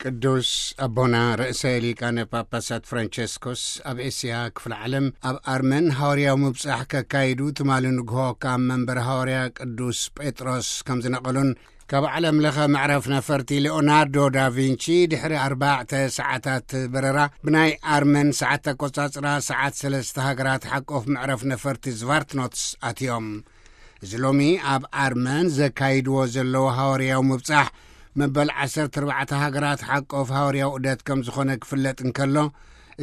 ቅዱስ ኣቦና ርእሰ ሊቃነ ጳጳሳት ፍራንቸስኮስ ኣብ ኤስያ ክፍለ ዓለም ኣብ ኣርመን ሃዋርያዊ ምብጻሕ ከካይዱ ትማሊ ንግሆ ካብ መንበር ሃዋርያ ቅዱስ ጴጥሮስ ከም ዝነቐሉን፣ ካብ ዓለም ለኸ መዕረፍ ነፈርቲ ሊኦናርዶ ዳቪንቺ ድሕሪ ኣርባዕተ ሰዓታት በረራ ብናይ ኣርመን ሰዓት ኣቆጻጽራ ሰዓት ሰለስተ ሃገራት ሓቆፍ መዕረፍ ነፈርቲ ዝቫርትኖትስ ኣትዮም። እዚ ሎሚ ኣብ ኣርመን ዘካይድዎ ዘለዉ ሃዋርያዊ ምብጻሕ መበል ዓሰርተ ኣርባዕተ ሃገራት ሓቆፍ ሃዋርያዊ ዑደት ከም ዝኾነ ክፍለጥ እንከሎ፣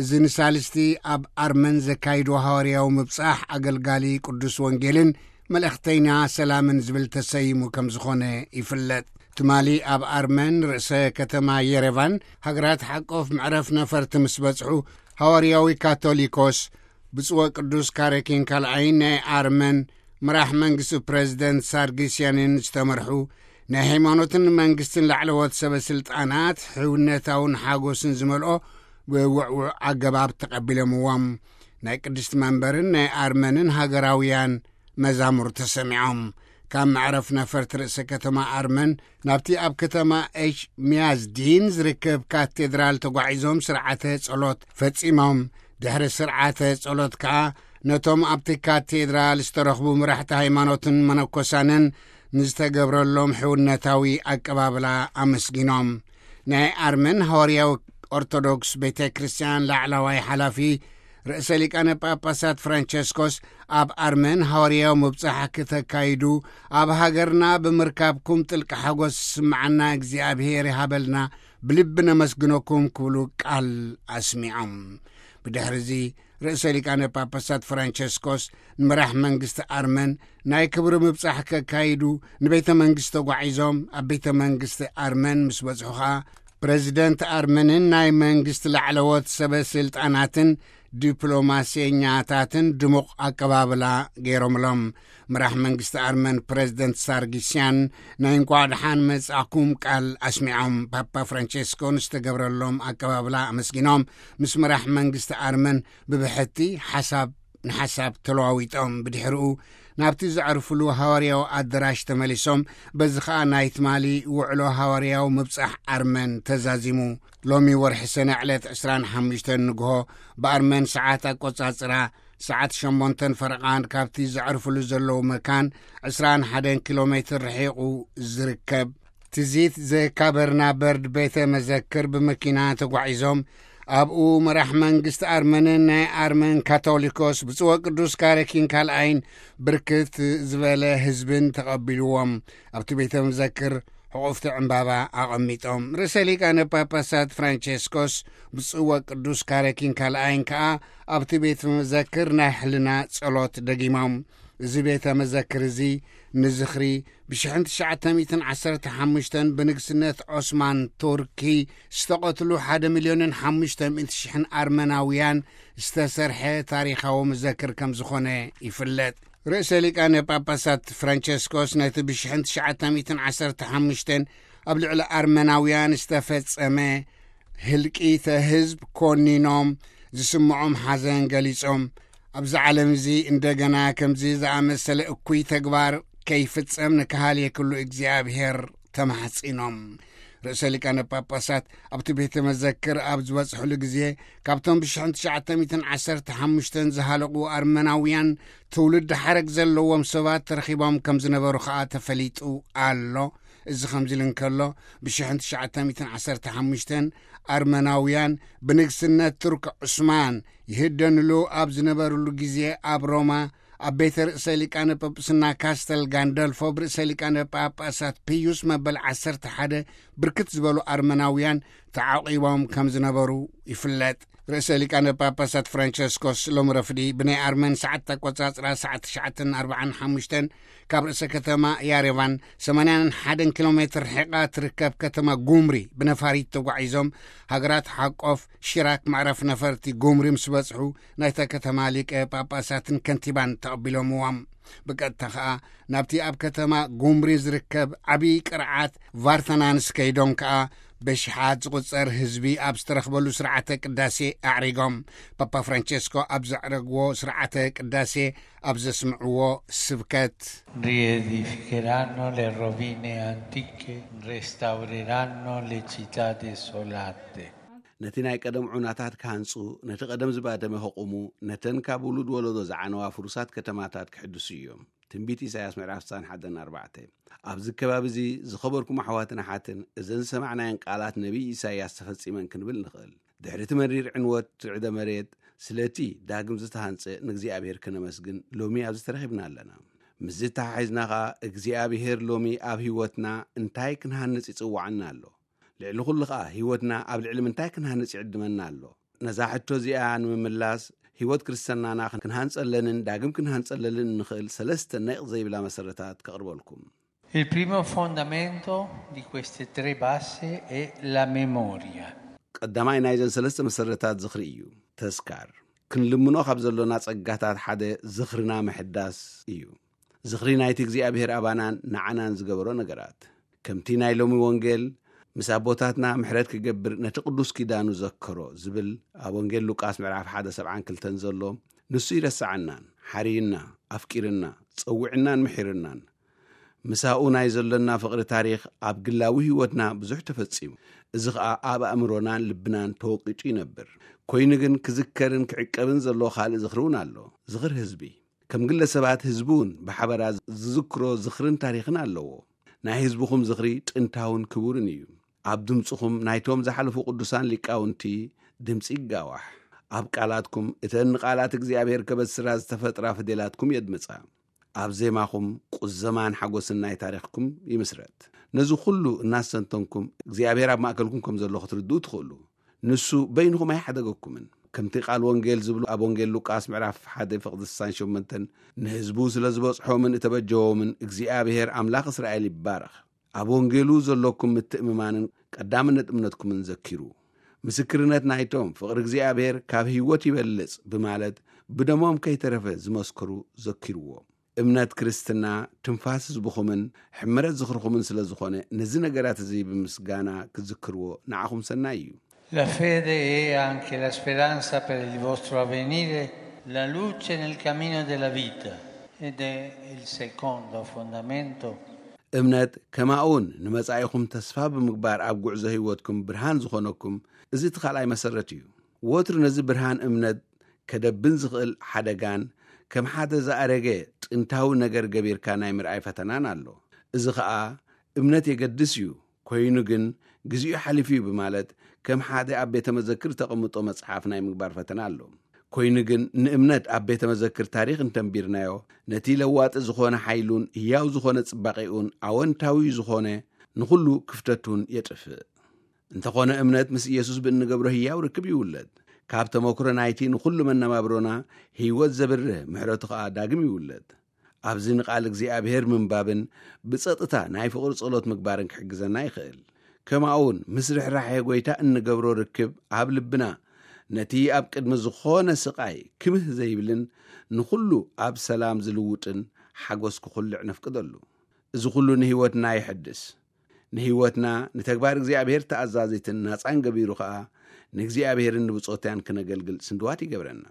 እዚ ንሳልስቲ ኣብ ኣርመን ዘካይድዎ ሃዋርያዊ ምብጻሕ ኣገልጋሊ ቅዱስ ወንጌልን መልእኽተኛ ሰላምን ዝብል ተሰይሙ ከም ዝኾነ ይፍለጥ። ትማሊ ኣብ ኣርመን ርእሰ ከተማ የሬቫን ሃገራት ሓቆፍ መዕረፍ ነፈርቲ ምስ በጽሑ፣ ሃዋርያዊ ካቶሊኮስ ብጽወ ቅዱስ ካረኪን ካልኣይን ናይ ኣርመን መራሕ መንግስቲ ፕረዚደንት ሳርጊስያንን ዝተመርሑ ናይ ሃይማኖትን መንግስትን ላዕለዎት ሰበ ስልጣናት ሕውነታውን ሓጎስን ዝመልኦ ብውዕውዕ ኣገባብ ተቐቢሎምዎም። ናይ ቅድስቲ መንበርን ናይ ኣርመንን ሃገራውያን መዛሙር ተሰሚዖም። ካብ መዕረፍ ነፈርቲ ርእሰ ከተማ ኣርመን ናብቲ ኣብ ከተማ ኤች ሚያዝዲን ዝርከብ ካቴድራል ተጓዒዞም ስርዓተ ጸሎት ፈጺሞም። ድሕሪ ስርዓተ ጸሎት ከኣ ነቶም ኣብቲ ካቴድራል ዝተረኽቡ መራሕቲ ሃይማኖትን መነኮሳንን ንዝተገብረሎም ሕውነታዊ ኣቀባብላ ኣመስጊኖም። ናይ ኣርመን ሃዋርያዊ ኦርቶዶክስ ቤተ ክርስቲያን ላዕላዋይ ሓላፊ ርእሰ ሊቃነ ጳጳሳት ፍራንቸስኮስ ኣብ ኣርመን ሃዋርያዊ ምብጻሕ ክተካይዱ ኣብ ሃገርና ብምርካብኩም ጥልቂ ሓጎስ ዝስምዓና እግዚኣብሔር ይሃበልና፣ ብልቢ ነመስግነኩም ክብሉ ቃል ኣስሚዖም። ብድሕሪ እዚ ርእሰ ሊቃነ ጳጳሳት ፍራንቸስኮስ ንመራሕ መንግስቲ ኣርመን ናይ ክብሪ ምብጻሕ ከካይዱ ንቤተ መንግስቲ ተጓዒዞም፣ ኣብ ቤተ መንግስቲ ኣርመን ምስ በጽሑ ኸኣ ፕረዚደንት ኣርመንን ናይ መንግስቲ ላዕለዎት ሰበ ስልጣናትን ዲፕሎማሴኛታትን ድሙቕ ኣቀባብላ ገይሮምሎም። መራሕ መንግስቲ ኣርመን ፕረዚደንት ሳርጊስያን ናይ እንቋዕ ደሓን መጻእኩም ቃል ኣስሚዖም። ፓፓ ፍራንቸስኮ ንዝተገብረሎም ኣቀባብላ ኣመስጊኖም፣ ምስ መራሕ መንግስቲ ኣርመን ብብሕቲ ሓሳብ ንሓሳብ ተለዋዊጦም። ብድሕሪኡ ናብቲ ዘዕርፍሉ ሃዋርያዊ ኣደራሽ ተመሊሶም። በዚ ኸኣ ናይ ትማሊ ውዕሎ ሃዋርያዊ ምብጻሕ ኣርመን ተዛዚሙ። ሎሚ ወርሒ ሰነ ዕለት ዕስራን ሓሙሽተን ንግሆ ብኣርመን ሰዓት ኣቆጻጽራ ሰዓት ሸሞንተን ፈረቓን ካብቲ ዘዕርፍሉ ዘለዉ መካን ዕስራን ሓደን ኪሎ ሜትር ርሒቑ ዝርከብ ትዚት ዘካበርና በርድ ቤተ መዘክር ብመኪና ተጓዒዞም። ኣብኡ መራሕ መንግስቲ ኣርመንን ናይ ኣርመን ካቶሊኮስ ብጽወ ቅዱስ ካረኪን ካልኣይን ብርክት ዝበለ ህዝብን ተቐቢልዎም። ኣብቲ ቤተ መዘክር ሕቑፍቲ ዕምባባ ኣቐሚጦም። ርእሰ ሊቃነ ጳጳሳት ፍራንቸስኮስ ብጽወ ቅዱስ ካረኪን ካልኣይን ከኣ ኣብቲ ቤተ መዘክር ናይ ሕልና ጸሎት ደጊሞም። እዚ ቤተ መዘክር እዚ ንዝኽሪ ብሽሕን ትሽዓተ ሚእትን ዓሰርተ ሓሙሽተን ብንግስነት ዖስማን ቱርኪ ዝተቐትሉ ሓደ ሚልዮንን ሓሙሽተ ሚእቲ ሽሕን ኣርመናውያን ዝተሰርሐ ታሪኻዊ መዘክር ከም ዝኾነ ይፍለጥ። ርእሰ ሊቃነ ጳጳሳት ፍራንቸስኮስ ነቲ ብሽሕን ትሽዓተ ሚእትን ዓሰርተ ሓሙሽተን ኣብ ልዕሊ ኣርመናውያን ዝተፈጸመ ህልቂተ ህዝብ ኮኒኖም፣ ዝስምዖም ሓዘን ገሊጾም፣ ኣብዚ ዓለም እዚ እንደገና ከምዚ ዝኣመሰለ እኩይ ተግባር ከይፍጸም ንከሃልየ ኩሉ እግዚኣብሔር ተማሕጺኖም። ርእሰ ሊቃነ ጳጳሳት ኣብቲ ቤተ መዘክር ኣብ ዝበጽሕሉ ግዜ፣ ካብቶም ብሽሕን ትሽዓተ ሚእትን ዓሰርተ ሓሙሽተን ዝሃለቑ ኣርመናውያን ትውልዲ ሓረግ ዘለዎም ሰባት ተረኺቦም ከም ዝነበሩ ኸኣ ተፈሊጡ ኣሎ። እዚ ከምዚ ኢሉ እንከሎ፣ ብሽሕን ትሽዓተ ሚእትን ዓሰርተ ሓሙሽተን ኣርመናውያን ብንግስነት ቱርክ ዑስማን ይህደንሉ ኣብ ዝነበርሉ ግዜ፣ ኣብ ሮማ ኣብ ቤተ ርእሰ ሊቃነ ጳጳስና ካስተል ጋንደልፎ ብርእሰ ሊቃነ ጳጳሳት ፒዩስ መበል ዓሰርተ ሓደ ብርክት ዝበሉ ኣርመናውያን ተዓቂቦም ከም ዝነበሩ ይፍለጥ። ርእሰ ሊቃነ ጳጳሳት ፍራንቸስኮስ ሎም ረፍዲ ብናይ ኣርመን ሰዓት ኣቆጻጽራ ሰዓት ትሽዓተን ኣርባዓን ሓሙሽተን ካብ ርእሰ ከተማ ያሬቫን ሰማንያን ሓደን ኪሎ ሜትር ርሒቓ ትርከብ ከተማ ጉምሪ ብነፋሪት ተጓዒዞም፣ ሃገራት ሓቆፍ ሺራክ መዕረፍ ነፈርቲ ጉምሪ ምስ በጽሑ፣ ናይታ ከተማ ሊቀ ጳጳሳትን ከንቲባን ተቐቢሎምዎም። ብቀጥታ ከኣ ናብቲ ኣብ ከተማ ጉምሪ ዝርከብ ዓብዪ ቅርዓት ቫርተናንስ ከይዶም ከኣ በሽሓት ዝቑጸር ህዝቢ ኣብ ዝተረኽበሉ ስርዓተ ቅዳሴ ኣዕሪጎም። ፓፓ ፍራንቸስኮ ኣብ ዘዕረግዎ ስርዓተ ቅዳሴ ኣብ ዘስምዕዎ ስብከት፣ Riedificheranno le rovine antiche, restaureranno le città desolate. ነቲ ናይ ቀደም ዑናታት ክሃንጹ፣ ነቲ ቀደም ዝባደመ ከቑሙ፣ ነተን ካብ ውሉድ ወለዶ ዝዓነዋ ፍሩሳት ከተማታት ክሕድሱ እዮም። ትንቢት ኢሳያስ ምዕራፍ ስሳን ሓደን ኣርባዕተ። ኣብዚ ከባቢ እዚ ዝኸበርኩም ኣሕዋትን ኣሓትን፣ እዘን ዝሰማዕናየን ቃላት ነቢይ ኢሳያስ ተፈጺመን ክንብል ንኽእል። ድሕሪ እቲ መሪር ዕንወት ርዕደ መሬት፣ ስለቲ ዳግም ዝተሃንጸ ንእግዚኣብሔር ከነመስግን ሎሚ ኣብዚ ተረኺብና ኣለና። ምስዚ ተሓሒዝና ኸኣ እግዚኣብሔር ሎሚ ኣብ ህይወትና እንታይ ክንሃንጽ ይጽውዓና ኣሎ? ልዕሊ ኩሉ ኸኣ ህይወትና ኣብ ልዕሊ ምንታይ ክንሃንጽ ይዕድመና ኣሎ? ነዛ ሕቶ እዚኣ ንምምላስ ህይወት ክርስትናና ክንሃንጸለንን ዳግም ክንሃንጸለልን እንኽእል ሰለስተ ነቕ ዘይብላ መሰረታት ከቕርበልኩም። Il primo fondamento di queste tre basi è la memoria. ቀዳማይ ናይዘን ሰለስተ መሰረታት ዝኽሪ እዩ። ተስካር። ክንልምኖ ካብ ዘሎና ጸጋታት ሓደ ዝኽርና ምሕዳስ እዩ። ዝኽሪ ናይቲ እግዚኣብሔር ኣባናን ንዓናን ዝገበሮ ነገራት። ከምቲ ናይ ሎሚ ወንጌል፣ ምስ ኣቦታትና ምሕረት ክገብር ነቲ ቅዱስ ኪዳኑ ዘከሮ ዝብል ኣብ ወንጌል ሉቃስ ምዕራፍ ሓደ ሰብዓን ክልተን ዘሎ፣ ንሱ ይረስዓናን ሓርዩና፣ ኣፍቂርና፣ ጸዊዕናን ምሒርናን። ምሳኡ ናይ ዘሎና ፍቕሪ ታሪኽ ኣብ ግላዊ ህይወትና ብዙሕ ተፈጺሙ። እዚ ኸኣ ኣብ ኣእምሮናን ልብናን ተወቂጡ ይነብር። ኮይኑ ግን ክዝከርን ክዕቀብን ዘለዎ ካልእ ዝኽሪ እውን ኣሎ። ዝኽሪ ህዝቢ። ከም ግለሰባት ህዝቢ እውን ብሓበራ ዝዝክሮ ዝኽርን ታሪኽን ኣለዎ። ናይ ህዝብኹም ዝኽሪ ጥንታውን ክቡርን እዩ። ኣብ ድምፅኹም ናይቶም ዝሓለፉ ቅዱሳን ሊቃውንቲ ድምፂ ይጋዋሕ። ኣብ ቃላትኩም እተን ንቃላት እግዚኣብሔር ከበስራ ዝተፈጥራ ፍዴላትኩም የድምፃ። ኣብ ዜማኹም ቁዘማን ሓጎስን ናይ ታሪኽኩም ይምስረት። ነዚ ኩሉ እናስተንተንኩም እግዚኣብሔር ኣብ ማእከልኩም ከም ዘሎ ክትርድኡ ትኽእሉ። ንሱ በይንኹም ኣይሓደገኩምን። ከምቲ ቃል ወንጌል ዝብሉ ኣብ ወንጌል ሉቃስ ምዕራፍ ሓደ ፍቕዲ ስሳን ሸሞንተን ንህዝቡ ስለ ዝበጽሖምን እተበጀዎምን እግዚኣብሔር ኣምላኽ እስራኤል ይባረኽ። ኣብ ወንጌሉ ዘለኩም ምትእምማንን ቀዳምነት እምነትኩምን ዘኪሩ። ምስክርነት ናይቶም ፍቕሪ እግዚኣብሔር ካብ ህይወት ይበልጽ ብማለት ብደሞም ከይተረፈ ዝመስክሩ ዘኪርዎ። እምነት ክርስትና ትንፋስ ህዝብኹምን ሕምረት ዝኽርኹምን ስለ ዝኾነ ነዚ ነገራት እዚ ብምስጋና ክዝክርዎ ንዓኹም ሰናይ እዩ። La fede è anche la speranza per il vostro avvenire, la luce nel cammino della vita. Ed è il secondo fondamento. እምነት ከማኡውን ንመጻኢኹም ተስፋ ብምግባር ኣብ ጉዕዞ ህይወትኩም ብርሃን ዝኾነኩም እዚ እቲ ካልኣይ መሰረት እዩ። ወትሩ ነዚ ብርሃን እምነት ከደብን ዝኽእል ሓደጋን ከም ሓደ ዝኣረገ ጥንታዊ ነገር ገቢርካ ናይ ምርኣይ ፈተናን ኣሎ። እዚ ኸኣ እምነት የገድስ እዩ፣ ኮይኑ ግን ግዚኡ ሓሊፉ እዩ ብማለት ከም ሓደ ኣብ ቤተ መዘክር ተቐምጦ መጽሓፍ ናይ ምግባር ፈተና ኣሎ። ኮይኑ ግን ንእምነት ኣብ ቤተ መዘክር ታሪኽ እንተንቢርናዮ ነቲ ለዋጢ ዝኾነ ሓይሉን ህያው ዝኾነ ጽባቄኡን ኣወንታዊ ዝኾነ ንኹሉ ክፍተቱን የጥፍእ። እንተኾነ እምነት ምስ ኢየሱስ ብእንገብሮ ህያው ርክብ ይውለድ። ካብ ተመክሮ ናይቲ ንኹሉ መነባብሮና ህይወት ዘብርህ ምሕረቱ ኸኣ ዳግም ይውለድ። ኣብዚ ንቓል እግዚኣብሔር ምንባብን ብጸጥታ ናይ ፍቕሪ ጸሎት ምግባርን ክሕግዘና ይኽእል። ከማኡውን ምስ ርሕራሐ ጐይታ እንገብሮ ርክብ ኣብ ልብና ነቲ ኣብ ቅድሚ ዝኾነ ስቓይ ክምህ ዘይብልን ንኹሉ ኣብ ሰላም ዝልውጥን ሓጎስ ክኹልዕ ነፍቅደሉ። እዚ ኹሉ ንህይወትና ይሕድስ። ንህይወትና ንተግባር እግዚኣብሔር ተኣዛዚትን ናጻን ገቢሩ ኸኣ ንእግዚኣብሔርን ንብጾትያን ክነገልግል ስንድዋት ይገብረና።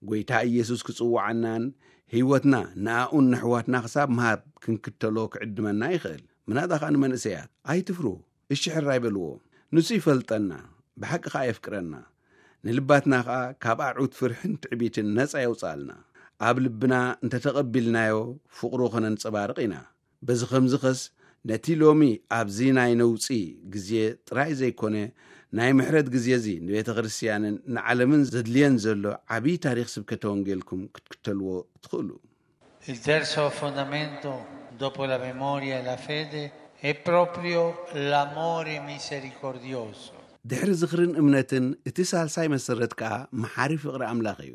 ጐይታ ኢየሱስ ክጽውዓናን ህይወትና ንኣኡን ንኣሕዋትና ክሳብ ምሃብ ክንክተሎ ክዕድመና ይኽእል። ምናዳ ኸኣ ንመንእሰያት ኣይትፍርሁ፣ እሺ ሕራይ በልዎ። ንሱ ይፈልጠና፣ ብሓቂ ኸኣ የፍቅረና። ንልባትና ኸኣ ካብ ኣዑት ፍርሕን ትዕቢትን ነጻ የውጽኣልና። ኣብ ልብና እንተ ተቐቢልናዮ ፍቕሩ ኸነንጸባርቕ ኢና። በዚ ኸምዚ ኸስ ነቲ ሎሚ ኣብዚ ናይ ነውጺ ግዜ ጥራይ ዘይኮነ ናይ ምሕረት ግዜ እዚ ንቤተ ክርስትያንን ንዓለምን ዘድልየን ዘሎ ዓብዪ ታሪኽ ስብከተ ወንጌልኩም ክትክተልዎ ትኽእሉ። Il terzo fondamento, dopo la memoria e la fede, è proprio l'amore misericordioso. ድሕሪ ዝኽርን እምነትን እቲ ሳልሳይ መሰረት ከኣ መሓሪ ፍቕሪ ኣምላኽ እዩ።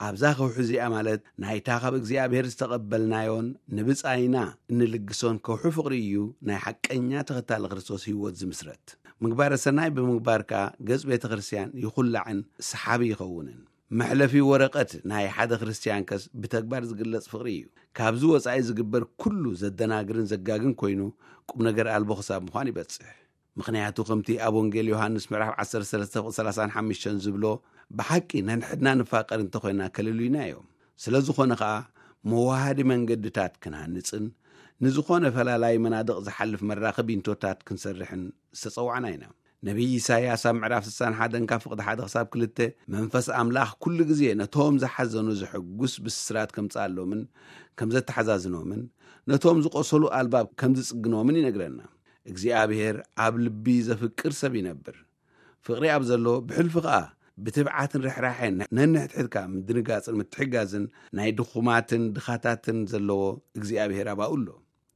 ኣብዛ ከውሒ እዚኣ ማለት ናይታ ካብ እግዚኣብሔር ዝተቐበልናዮን ንብጻይና እንልግሶን ከውሒ ፍቕሪ እዩ ናይ ሓቀኛ ተኸታሊ ክርስቶስ ህይወት ዝምስረት። ምግባረ ሰናይ ብምግባር ከኣ ገጽ ቤተ ክርስትያን ይኹላዕን ሰሓቢ ይኸውንን። መሕለፊ ወረቐት ናይ ሓደ ክርስትያን ከስ ብተግባር ዝግለጽ ፍቕሪ እዩ። ካብዚ ወጻኢ ዝግበር ኩሉ ዘደናግርን ዘጋግን ኮይኑ፣ ቁም ነገር ኣልቦ ክሳብ ምዃን ይበጽሕ። ምኽንያቱ፣ ከምቲ ኣብ ወንጌል ዮሃንስ ምዕራፍ ዓሰርተ ሰለስተ ቁጽሪ ሰላሳን ሓሙሽተን ዝብሎ፣ ብሓቂ ነንሕድና ንፋቐር እንተኾይና ከልሉይና እዮም። ስለ ዝኾነ ኸኣ፣ መዋሃዲ መንገድታት ክንሃንጽን፣ ንዝኾነ ፈላላይ መናድቕ ዝሓልፍ መራኸቢ እንቶታት ክንሰርሕን ዝተጸዋዕና ኢና። ነቢይ ኢሳይያስ ኣብ ምዕራፍ ስሳን ሓደን ካብ ፍቕዲ ሓደ ክሳብ ክልተ፣ መንፈስ ኣምላኽ ኩሉ ግዜ ነቶም ዝሓዘኑ ዘሐጉስ ብስራት ከምጽኣሎምን ከም ዘተሓዛዝኖምን፣ ነቶም ዝቖሰሉ ኣልባብ ከም ዝጽግኖምን ይነግረና። እግዚኣብሔር ኣብ ልቢ ዘፍቅር ሰብ ይነብር። ፍቕሪ ኣብ ዘሎ፣ ብሕልፊ ኸኣ ብትብዓትን ርሕራሐን ነንሕድሕድካ ምድንጋጽን ምትሕጋዝን ናይ ድኹማትን ድኻታትን ዘለዎ እግዚኣብሔር ኣባኡ ኣሎ።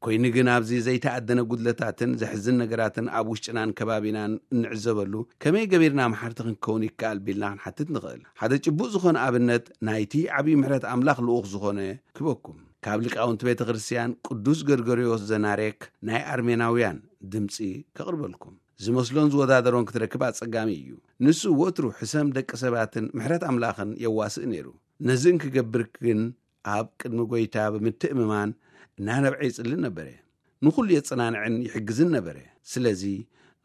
ኮይኑ ግን ኣብዚ ዘይተኣደነ ጉድለታትን ዘሕዝን ነገራትን ኣብ ውሽጥናን ከባቢናን እንዕዘበሉ ከመይ ገቢርና መሓርቲ ክንከውን ይከኣል ቢልና ክንሓትት ንኽእል። ሓደ ጭቡጥ ዝኾነ ኣብነት ናይቲ ዓብዪ ምሕረት ኣምላኽ ልኡኽ ዝኾነ ክበኩም። ካብ ሊቃውንቲ ቤተ ክርስቲያን ቅዱስ ገርገርዮስ ዘናሬክ ናይ ኣርሜናውያን ድምፂ ከቕርበልኩም። ዝመስሎን ዝወዳደሮን ክትረክብ ኣጸጋሚ እዩ። ንሱ ወትሩ ሕሰም ደቂ ሰባትን ምሕረት ኣምላኽን የዋስእ ነይሩ። ነዚ እንክገብር ግን ኣብ ቅድሚ ጐይታ ብምትእምማን እናነብዐ ይጽልን ነበረ። ንኹሉ የጸናንዕን ይሕግዝን ነበረ። ስለዚ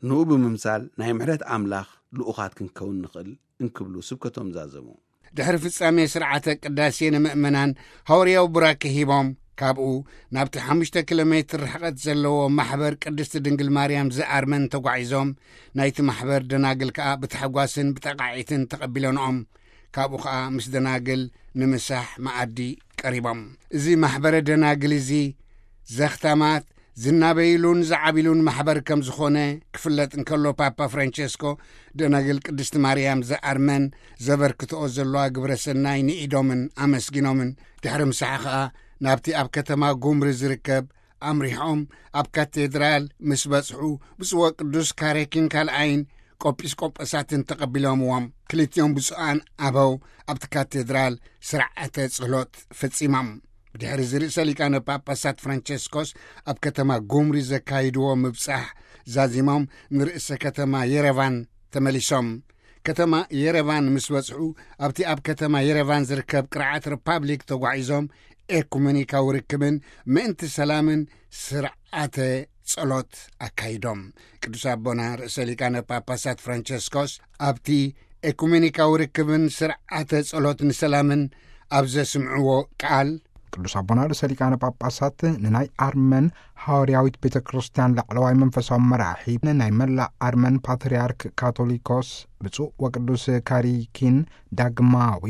ንኡ ብምምሳል ናይ ምሕረት ኣምላኽ ልኡኻት ክንከውን ንኽእል እንክብሉ ስብከቶም ዛዘሙ። ድሕሪ ፍጻሜ ስርዓተ ቅዳሴ ንምእመናን ሃዋርያዊ ቡራኬ ሂቦም፣ ካብኡ ናብቲ ሓሙሽተ ኪሎ ሜትር ርሕቐት ዘለዎ ማሕበር ቅድስቲ ድንግል ማርያም ዘኣርመን ተጓዒዞም፣ ናይቲ ማሕበር ደናግል ከኣ ብታሕጓስን ብጠቓዒትን ተቐቢለንኦም። ካብኡ ኸኣ ምስ ደናግል ንምሳሕ መኣዲ ቀሪቦም። እዚ ማሕበረ ደናግል እዚ ዘኽታማት ዝናበይሉን ዝዓቢሉን ማሕበር ከም ዝኾነ ክፍለጥ እንከሎ፣ ፓፓ ፍራንቸስኮ ደናግል ቅድስቲ ማርያም ዘኣርመን ዘበርክትኦ ዘለዋ ግብረ ሰናይ ንኢዶምን ኣመስጊኖምን። ድሕሪ ምሳሕ ኸኣ ናብቲ ኣብ ከተማ ጉምሪ ዝርከብ ኣምሪሖም፣ ኣብ ካቴድራል ምስ በጽሑ፣ ብፁዕ ወቅዱስ ካሬኪን ካልኣይን ቆጲስቆጶሳትን ተቐቢሎምዎም። ክልቲኦም ብፁዓን ኣበው ኣብቲ ካቴድራል ስርዓተ ጸሎት ፈጺሞም። ብድሕሪ እዚ ርእሰ ሊቃነ ጳጳሳት ፍራንቸስኮስ ኣብ ከተማ ጉምሪ ዘካይድዎ ምብጻሕ ዛዚሞም ንርእሰ ከተማ የረቫን ተመሊሶም። ከተማ የረቫን ምስ በጽሑ፣ ኣብቲ ኣብ ከተማ የረቫን ዝርከብ ቅርዓት ሪፓብሊክ ተጓዒዞም ኤኩሜኒካዊ ርክብን ምእንቲ ሰላምን ስርዓተ ጸሎት ኣካይዶም። ቅዱስ ኣቦና ርእሰ ሊቃነ ጳጳሳት ፍራንቸስኮስ ኣብቲ ኤኩሜኒካዊ ርክብን ስርዓተ ጸሎት ንሰላምን ኣብ ዘስምዕዎ ቃል፣ ቅዱስ ኣቦና ርእሰ ሊቃነ ጳጳሳት ንናይ ኣርመን ሃዋርያዊት ቤተ ክርስቲያን ላዕለዋይ መንፈሳዊ መራሒ፣ ናይ መላእ ኣርመን ፓትርያርክ ካቶሊኮስ ብፁዕ ወቅዱስ ካሪኪን ዳግማዊ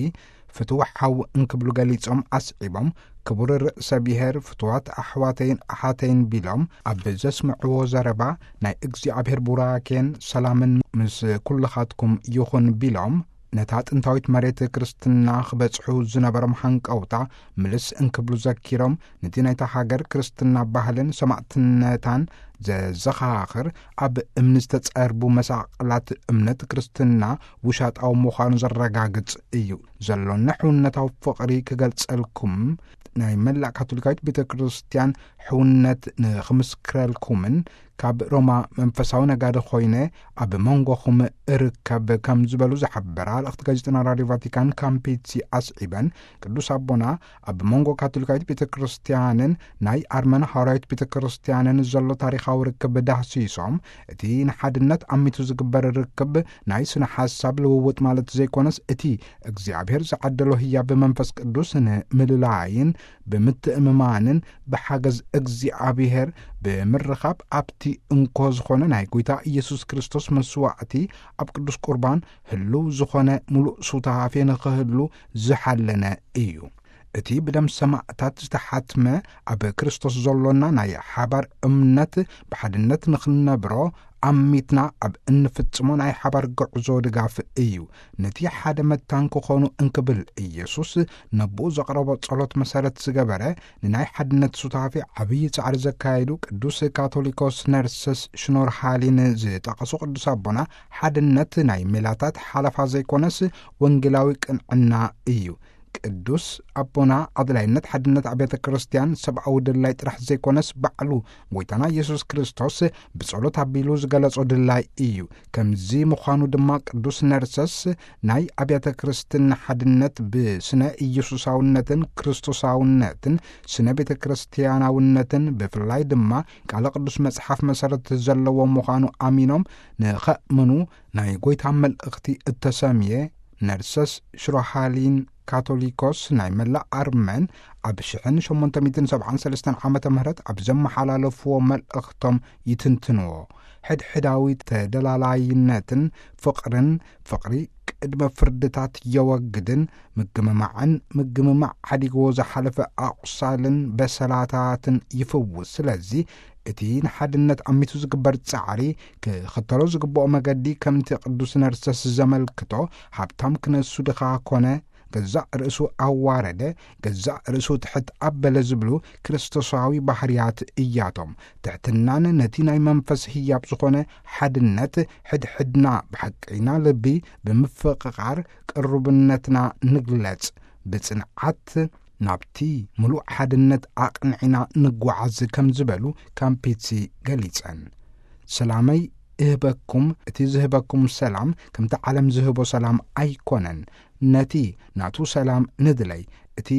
ፍትው ሓው እንክብሉ ገሊጾም ኣስዒቦም፣ ክቡር ርእሰ ብሔር፣ ፍትዋት ኣሕዋተይን ኣሓተይን ቢሎም ኣብ ዘስምዕዎ ዘረባ፣ ናይ እግዚኣብሔር ቡራኬን ሰላምን ምስ ኩልኻትኩም ይኹን ቢሎም፣ ነታ ጥንታዊት መሬት ክርስትና ክበጽሑ ዝነበሮም ሃንቀውታ ምልስ እንክብሉ ዘኪሮም፣ ነቲ ናይታ ሃገር ክርስትና ባህልን ሰማዕትነታን ዘዘኻኽር፣ ኣብ እምኒ ዝተጸርቡ መሳቕላት እምነት ክርስትና ውሻጣዊ ምዃኑ ዘረጋግጽ እዩ። ዘሎኒ ሕውነታዊ ፍቕሪ ክገልጸልኩም፣ ናይ መላእ ካቶሊካዊት ቤተ ክርስቲያን ሕውነት ንኽምስክረልኩምን፣ ካብ ሮማ መንፈሳዊ ነጋዲ ኮይነ ኣብ መንጎኹም እርከብ ከም ዝበሉ ዝሓበራ ልእኽቲ ጋዜጠና ራድዮ ቫቲካን ካምፒትሲ ኣስዒበን፣ ቅዱስ ኣቦና ኣብ መንጎ ካቶሊካዊት ቤተ ክርስቲያንን ናይ ኣርመን ሃዋርያዊት ቤተ ክርስቲያንን ዘሎ ታሪኻዊ ርክብ ዳህሲሶም፣ እቲ ንሓድነት ኣሚቱ ዝግበር ርክብ ናይ ስነ ሓሳብ ልውውጥ ማለት ዘይኮነስ፣ እቲ እግዚኣብሔር ዝዓደሎ ህያብ መንፈስ ቅዱስ ንምልላይን ብምትእምማንን ብሓገዝ እግዚኣብሔር ብምርኻብ፣ ኣብቲ እንኮ ዝኾነ ናይ ጐይታ ኢየሱስ ክርስቶስ መስዋዕቲ ኣብ ቅዱስ ቁርባን ህልው ዝኾነ ምሉእ ሱታፌ ንኽህሉ ዝሓለነ እዩ። እቲ ብደም ሰማዕታት ዝተሓትመ ኣብ ክርስቶስ ዘሎና ናይ ሓባር እምነት ብሓድነት ንኽንነብሮ ኣሚትና ኣብ እንፍጽሞ ናይ ሓባር ጉዕዞ ድጋፍ እዩ። ነቲ ሓደ መታን ክኾኑ እንክብል ኢየሱስ ነብኡ ዘቕረቦ ጸሎት መሰረት ዝገበረ ንናይ ሓድነት ሱታፌ ዓብዪ ጻዕሪ ዘካየዱ ቅዱስ ካቶሊኮስ ነርሰስ ሽኖር ሃሊን ዝጠቐሱ ቅዱስ ኣቦና፣ ሓድነት ናይ ሜላታት ሓለፋ ዘይኮነስ ወንጌላዊ ቅንዕና እዩ። ቅዱስ ኣቦና ኣድላይነት ሓድነት ኣብያተ ክርስቲያን ሰብኣዊ ድላይ ጥራሕ ዘይኮነስ፣ ባዕሉ ጎይታና ኢየሱስ ክርስቶስ ብጸሎት ኣቢሉ ዝገለጾ ድላይ እዩ። ከምዚ ምዃኑ ድማ ቅዱስ ነርሰስ ናይ ኣብያተ ክርስትና ሓድነት ብስነ ኢየሱሳውነትን ክርስቶሳውነትን ስነ ቤተ ክርስቲያናውነትን ብፍላይ ድማ ቃለ ቅዱስ መጽሓፍ መሰረት ዘለዎ ምዃኑ ኣሚኖም ንኸእምኑ ናይ ጎይታ መልእኽቲ እተሰምየ ነርሰስ ሽሮሃሊን ካቶሊኮስ ናይ መላእ ኣርመን ኣብ ሽሕን ሸሞንተ ሚእትን ሰብዓን ሰለስተን ዓመተ ምህረት ኣብ ዘመሓላለፍዎ መልእኽቶም ይትንትንዎ። ሕድሕዳዊ ተደላላይነትን ፍቕርን፣ ፍቕሪ ቅድመ ፍርድታት የወግድን ምግምማዕን ምግምማዕ ሓዲግዎ ዝሓለፈ ኣቑሳልን በሰላታትን ይፍውስ። ስለዚ እቲ ንሓድነት ኣሚቱ ዝግበር ጻዕሪ ክኽተሎ ዝግብኦ መገዲ ከምቲ ቅዱስ ነርሰስ ዘመልክቶ ሃብታም ክነሱ ድኻ ኮነ ገዛእ ርእሱ ኣዋረደ፣ ገዛእ ርእሱ ትሕት ኣበለ ዝብሉ ክርስቶሳዊ ባህርያት እያቶም። ትሕትናን ነቲ ናይ መንፈስ ህያብ ዝኾነ ሓድነት ሕድሕድና ብሓቀይና ልቢ ብምፍቕቓር ቅሩብነትና ንግለጽ፣ ብጽንዓት ናብቲ ምሉእ ሓድነት ኣቕንዒና ንጓዓዝ ከም ዝበሉ ካምፒትሲ ገሊጸን። ሰላመይ እህበኩም፣ እቲ ዝህበኩም ሰላም ከምቲ ዓለም ዝህቦ ሰላም ኣይኮነን። ነቲ ናቱ ሰላም ንድለይ፣ እቲ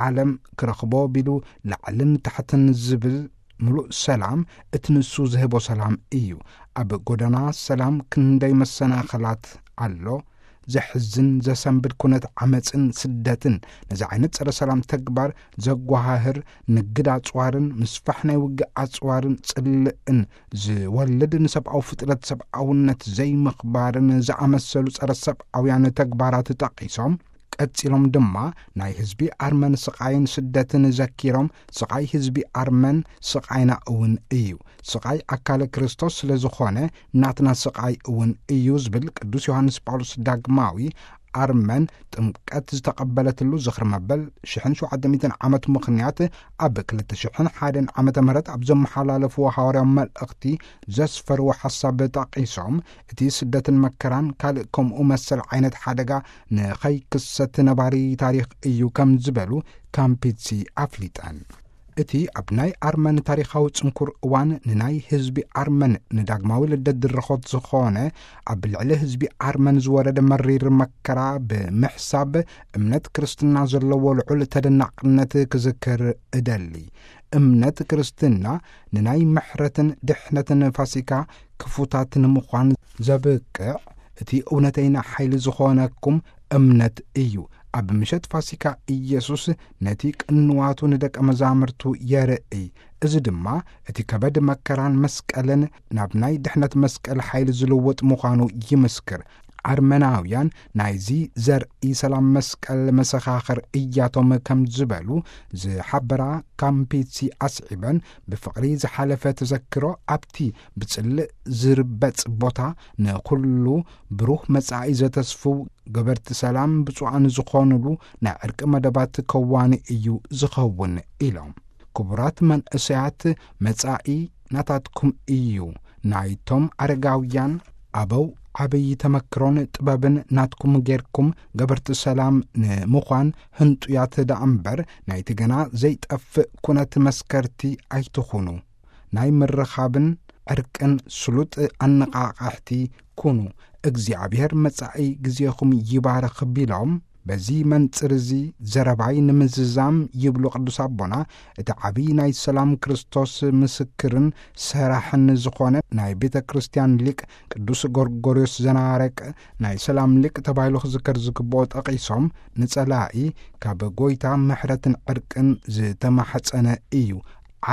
ዓለም ክረኽቦ ቢሉ ላዕልን ታሕትን ዝብል ምሉእ ሰላም እቲ ንሱ ዝህቦ ሰላም እዩ። ኣብ ጎደና ሰላም ክንደይ መሰናኽላት ኣሎ። ዘሕዝን ዘሰንብድ ኩነት ዓመፅን ስደትን፣ ነዚ ዓይነት ፀረ ሰላም ተግባር ዘጓሃህር ንግድ ኣፅዋርን ምስፋሕ ናይ ውግእ ኣፅዋርን ጽልእን ዝወልድ፣ ንሰብኣዊ ፍጥረት ሰብኣውነት ዘይምኽባርን ዝኣመሰሉ ጸረ ሰብኣውያን ተግባራት ጠቒሶም፣ ቀጺሎም ድማ ናይ ህዝቢ ኣርመን ስቓይን ስደትን ዘኪሮም፣ ስቓይ ህዝቢ ኣርመን ስቓይና እውን እዩ፣ ስቓይ ኣካለ ክርስቶስ ስለ ዝኾነ ናትና ስቓይ እውን እዩ ዝብል ቅዱስ ዮሃንስ ጳውሎስ ዳግማዊ ኣርመን ጥምቀት ዝተቐበለትሉ ዝኽሪ መበል ሽሕን ሸውዓተ ሚእትን ዓመት ምኽንያት ኣብ ክልተ ሽሕን ሓደን ዓመተ ምህረት ኣብ ዘመሓላለፍዎ ሃዋርያዊ መልእኽቲ ዘስፈርዎ ሓሳብ ጠቒሶም፣ እቲ ስደትን መከራን ካልእ ከምኡ መሰል ዓይነት ሓደጋ ንኸይክሰት ነባሪ ታሪኽ እዩ ከም ዝበሉ ካምፒትሲ ኣፍሊጠን። እቲ ኣብ ናይ ኣርመን ታሪኻዊ ጽንኩር እዋን ንናይ ህዝቢ ኣርመን ንዳግማዊ ልደት ድረኾት ዝኾነ ኣብ ልዕሊ ህዝቢ ኣርመን ዝወረደ መሪር መከራ ብምሕሳብ እምነት ክርስትና ዘለዎ ልዑል ተደናቕነት ክዝክር እደሊ። እምነት ክርስትና ንናይ ምሕረትን ድሕነትን ፋሲካ ክፉታት ንምዃን ዘብቅዕ እቲ እውነተይና ሓይሊ ዝኾነኩም እምነት እዩ። ኣብ ምሸት ፋሲካ ኢየሱስ ነቲ ቅንዋቱ ንደቀ መዛሙርቱ የርእይ። እዚ ድማ እቲ ከበድ መከራን መስቀልን ናብ ናይ ድሕነት መስቀል ሓይሊ ዝልውጥ ምዃኑ ይምስክር። ኣርመናውያን ናይዚ ዘርኢ ሰላም መስቀል መሰኻኽር እያቶም ከም ዝበሉ ዝሓበራ ካምፒትሲ ኣስዒበን፣ ብፍቕሪ ዝሓለፈ ተዘክሮ ኣብቲ ብጽልእ ዝርበጽ ቦታ ንኹሉ ብሩህ መጻኢ ዘተስፍው ገበርቲ ሰላም ብፁዓን ዝኾኑሉ ናይ ዕርቂ መደባት ከዋኒ እዩ ዝኸውን ኢሎም። ክቡራት መንእሰያት፣ መጻኢ ናታትኩም እዩ። ናይቶም ኣረጋውያን ኣበው ዓብዪ ተመክሮን ጥበብን ናትኩም ጌርኩም ገበርቲ ሰላም ንምዃን ህንጡያት ደኣ እምበር ናይቲ ገና ዘይጠፍእ ኩነት መስከርቲ ኣይትኹኑ። ናይ ምርኻብን ዕርቅን ስሉጥ ኣነቓቓሕቲ ኩኑ። እግዚኣብሔር መጻኢ ግዜኹም ይባርኽ ቢሎም፣ በዚ መንጽር እዚ ዘረባይ ንምዝዛም ይብሉ ቅዱስ ኣቦና፣ እቲ ዓብዪ ናይ ሰላም ክርስቶስ ምስክርን ሰራሕን ዝኾነ ናይ ቤተ ክርስቲያን ሊቅ ቅዱስ ጎርጎርዮስ ዘናረቅ ናይ ሰላም ሊቅ ተባሂሉ ክዝከር ዝግብኦ ጠቒሶም፣ ንጸላኢ ካብ ጎይታ ምሕረትን ዕርቅን ዝተማሕጸነ እዩ።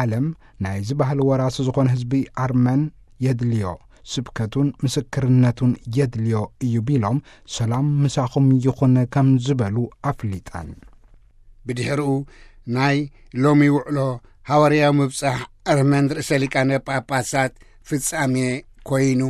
ዓለም ናይዚ ባህሊ ወራሲ ዝኾነ ህዝቢ ኣርመን የድልዮ፣ ስብከቱን ምስክርነቱን የድልዮ እዩ ቢሎም፣ ሰላም ምሳኹም ይኹን ከም ዝበሉ ኣፍሊጠን። ብድሕሪኡ ናይ ሎሚ ውዕሎ ሃዋርያዊ ምብጻሕ ኣርመን ርእሰ ሊቃነ ጳጳሳት ፍጻሜ ኮይኑ።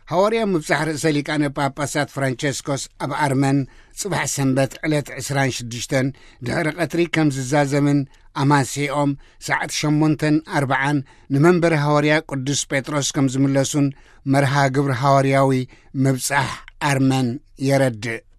ሃዋርያዊ ምብጻሕ ርእሰ ሊቃነ ጳጳሳት ፍራንቸስኮስ ኣብ ኣርመን ጽባሕ ሰንበት ዕለት ዕስራን ሽዱሽተን ድሕሪ ቀትሪ ከም ዝዛዘምን ኣማስይኦም ሰዓት ሸሞንተን ኣርብዓን ንመንበሪ ሃዋርያ ቅዱስ ጴጥሮስ ከም ዝምለሱን መርሃ ግብሪ ሃዋርያዊ ምብጻሕ ኣርመን የረድእ።